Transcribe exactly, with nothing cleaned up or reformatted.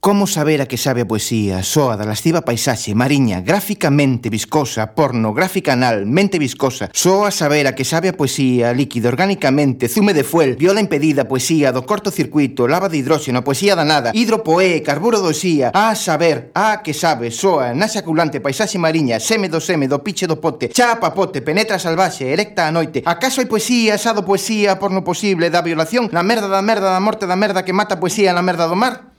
Como saber a que sabe a poesía? Soa da lasciva paisaxe, mariña, gráficamente viscosa, pornográfica anal, mente viscosa. Soa saber a que sabe a poesía, líquido orgánicamente, zume de fuel, viola impedida, poesía do cortocircuito, lava de hidróxeno, poesía danada, hidropoé, carburo do xía. A saber, a que sabe, soa, na xaculante paisaxe mariña, seme do seme, do piche do pote, chapa pote, penetra salvaxe, erecta a noite. Acaso hai poesía, asado poesía, porno posible, da violación, na merda da merda da morte da merda que mata a poesía na merda do mar?